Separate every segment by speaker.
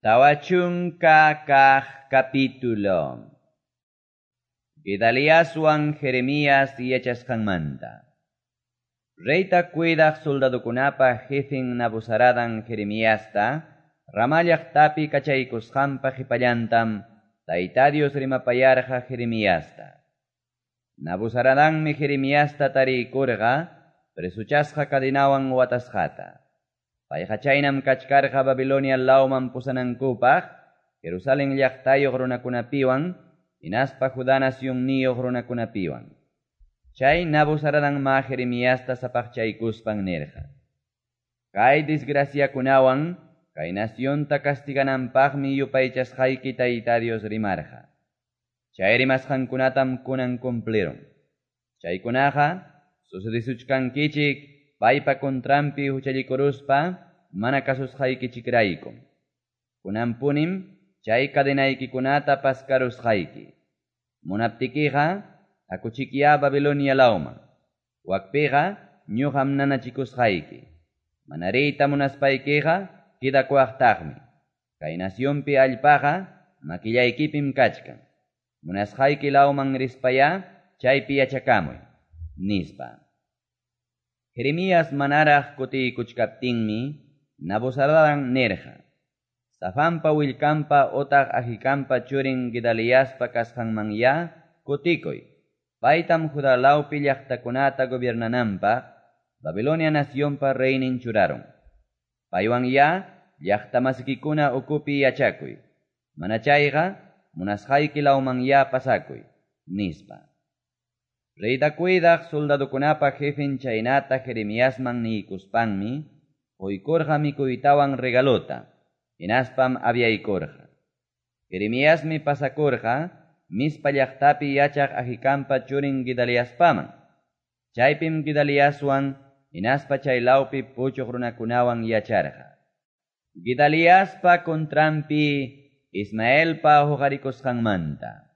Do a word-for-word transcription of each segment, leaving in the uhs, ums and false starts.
Speaker 1: Tawa chunka kaq capítulo. Gedaliaswan Jeremías yachasqanmanta. Reyta cuidaq soldadokunapa jefen Nabuzaradan Jeremiasta, Ramá llaqtapi kachaykusqanpa qhipallantam Tayta Dios rimapayarqa Jeremiasta. Nabuzaradanmi Jeremiasta tariykurqa presuchasqa cadenawan watasqata. Payqa chaynam kachkarqa Babilonia lawman pusanankupaq, Jerusalén llaqtayuq runakunapiwan, hinaspa Judá nacionniyuq runakunapiwan. Chay Nabuzaradan ma Jeremiasta sapaqchaykuspan nirqa: Kay desgraciakunawan, kay nacionta castigananpaqmi yupaychasqayki Tayta Dios rimarqa. Chay rimasqankunatam kunan cumplirun. Chaykunaqa sucedisuchkankichik paypa contranpi huchallikuruspa mana kasusqaykichikraykum. Kunanpunim chay cadenaykikunata paskarusqayki. Munaptikiqa hakuchikya Babilonia lawman. Wakpiqa ñuqam nanachikusqayki. Mana riyta munaspaykiqa kidakuwaqtaqmi. Kay nacionpi allpaqa makillaykipim kachkan. Munasqayki lawman rispaya chaypi yachakamuy, nispa. Jeremías manaraq kutiykuchkaptinmi Nabuzaradan nirqa: Safanpa willkanpa otaq Ahikampa churin Gedaliaspa kasqanmanya kutikuy. Paytam Judá lawpi llaqtakunata gobiernananpaq Babilonia nacionpa reynin churarun. Paywanya llaqtamasikikuna ukupi yachakuy. Mana chayqa munasqayki lawmanya pasakuy, nispa. Reyta cuidaq soldadokunapa jefen chaynata Jeremiasman niykuspanmi quykurqa mikuytawan regalota, hinaspam aviaykurqa. Jeremiasmi pasakurqa Mizpa llaqtapi yachaq Ahikampa churin Gedaliaspaman. Chaypim Gedaliaswan hinaspa chay lawpi puchuq runakunawan yacharqa. Gedaliaspa contranpi Ismaelpa huqarikusqanmanta.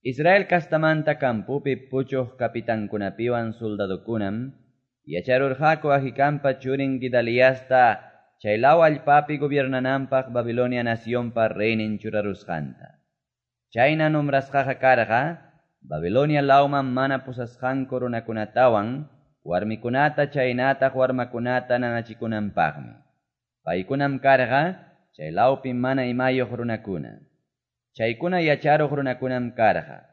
Speaker 1: Israel kastamanta campopi puchuq kapitankunapiwan soldadokunam yacharurqaku Ahikampa churin Gedaliasta chay law allpapi gobiernananpaq Babilonia nacionpa reynin churarusqanta. Chayna nombrasqaqa karqa Babilonia lawman mana pusasqanku runakunatawan warmikunata chaynataq warmakunata nanachikunanpaqmi. Paykunam karqa chay lawpi mana imayuq runakuna. Chaykuna yacharuq runakunam karqa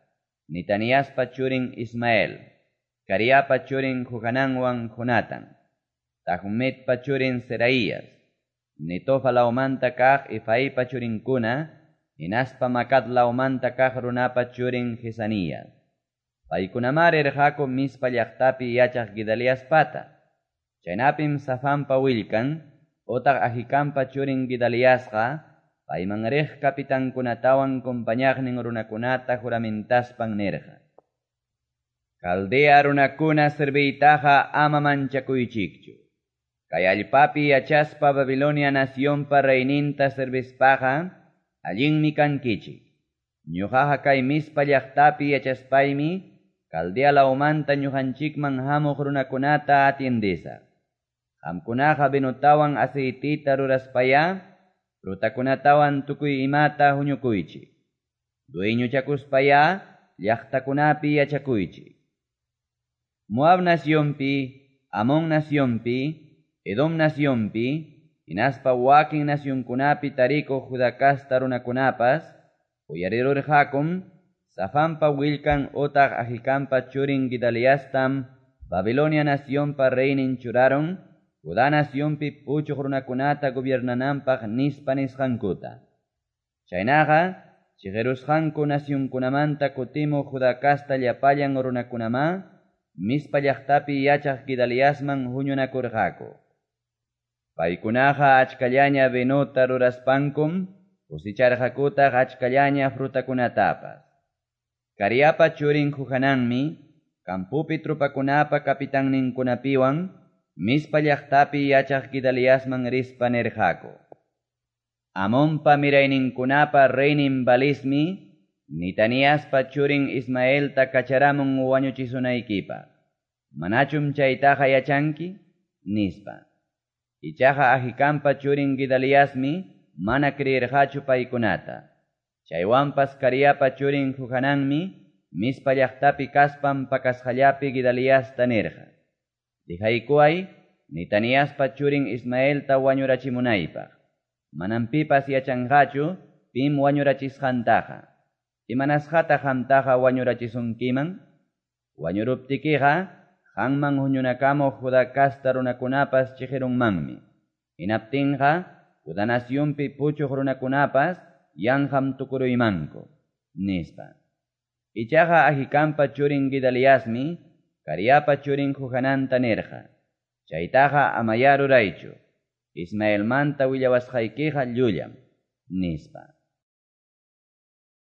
Speaker 1: Nitaniaspa churin Ismael, Cariapa churin Johananwan Jonatan, Tahumetpa churin Seraías, Netofa lawmanta kaq Efaipa churinkuna, hinaspa Macat lawmanta kaq runapa churin Jesanías. Paykunamá rirqaku Mizpa llaqtapi yachaq Gedaliaspata. Chaynapim Safanpa willkan, otaq Ahikampa churin Gedaliasqa, payman riq kapitankunatawan compañaqnin runakunata juramentaspan nirqa: Caldea runakuna serviytaqa ama manchakuychikchu. Kay allpapi yachaspa Babilonia nacionpa reyninta servispaqa allinmi kankichik. Ñuqaqa kay Mizpa llaqtapi yachaspaymi Caldea lawmanta ñuqanchikman hamuq runakunata atiendesaq. Qamkunaqa vinotawan aceitita ruraspaya frutakunatawan tukuy imata huñukuychik. Dueñochakuspaya llaqtakunapi yachakuychik. Moab nacionpi, Amón nacionpi, Edom nacionpi, hinaspa wakin nacionkunapi tarikuq Judá kasta runakunapas, uyarirurqakum Safanpa willkan otaq Ahikampa churin Gedaliastam Babilonia nacionpa reynin churarun Judá nacionpi puchuq runakunata gobiernananpaq nispa nisqankuta. Chaynaqa chiqirusqanku nacionkunamanta kutimuq Judá kasta llapallan runakunamá Mizpa llaqtapi yachaq Gedaliasman huñunakurqaku. Paykunaqa achkallaña vinota ruraspankum cosecharqakutaq achkallaña frutakunatapas. Cariapa churin Johananmi campopi tropakunapa kapitanninkunapiwan Mizpa llaqtapi yachaq Gedaliasman rispa nirqaku: Amonpa mirayninkunapa reynin Balismi Nitaniaspa churin Ismaelta kacharamun wañuchisunaykipaq. Manachum chaytaqa yachanki? Nispa. Ichaqa Ahikampa churin Gedaliasmi mana creerqachu paykunata. Chaywanpas Careapa churin Johananmi Mizpa llaqtapi kaspan pakasqallapi Gedaliasta nirqa, Dejaykuway Netaniaspa churin Ismaelta wañurachimunaypaq, manam pipas yachanqachu pim wañurachisqantaqa. Imanasqataq qamtaqa wañurachisunkiman? Wañuruptikiqa qanman huñunakamuq Juda casta runakunapas cheqerunmanmi. Hinaptinqa Juda nacionpi puchuq runakunapas yanqam tukuruymanku, nispa. Ichaqa Ahicampa churin Gedaliasmi Careapa churin Johananta nirqa, Chaytaqa amayá ruraychu, Ismaelmanta willawasqaykiqa llullam, nispa.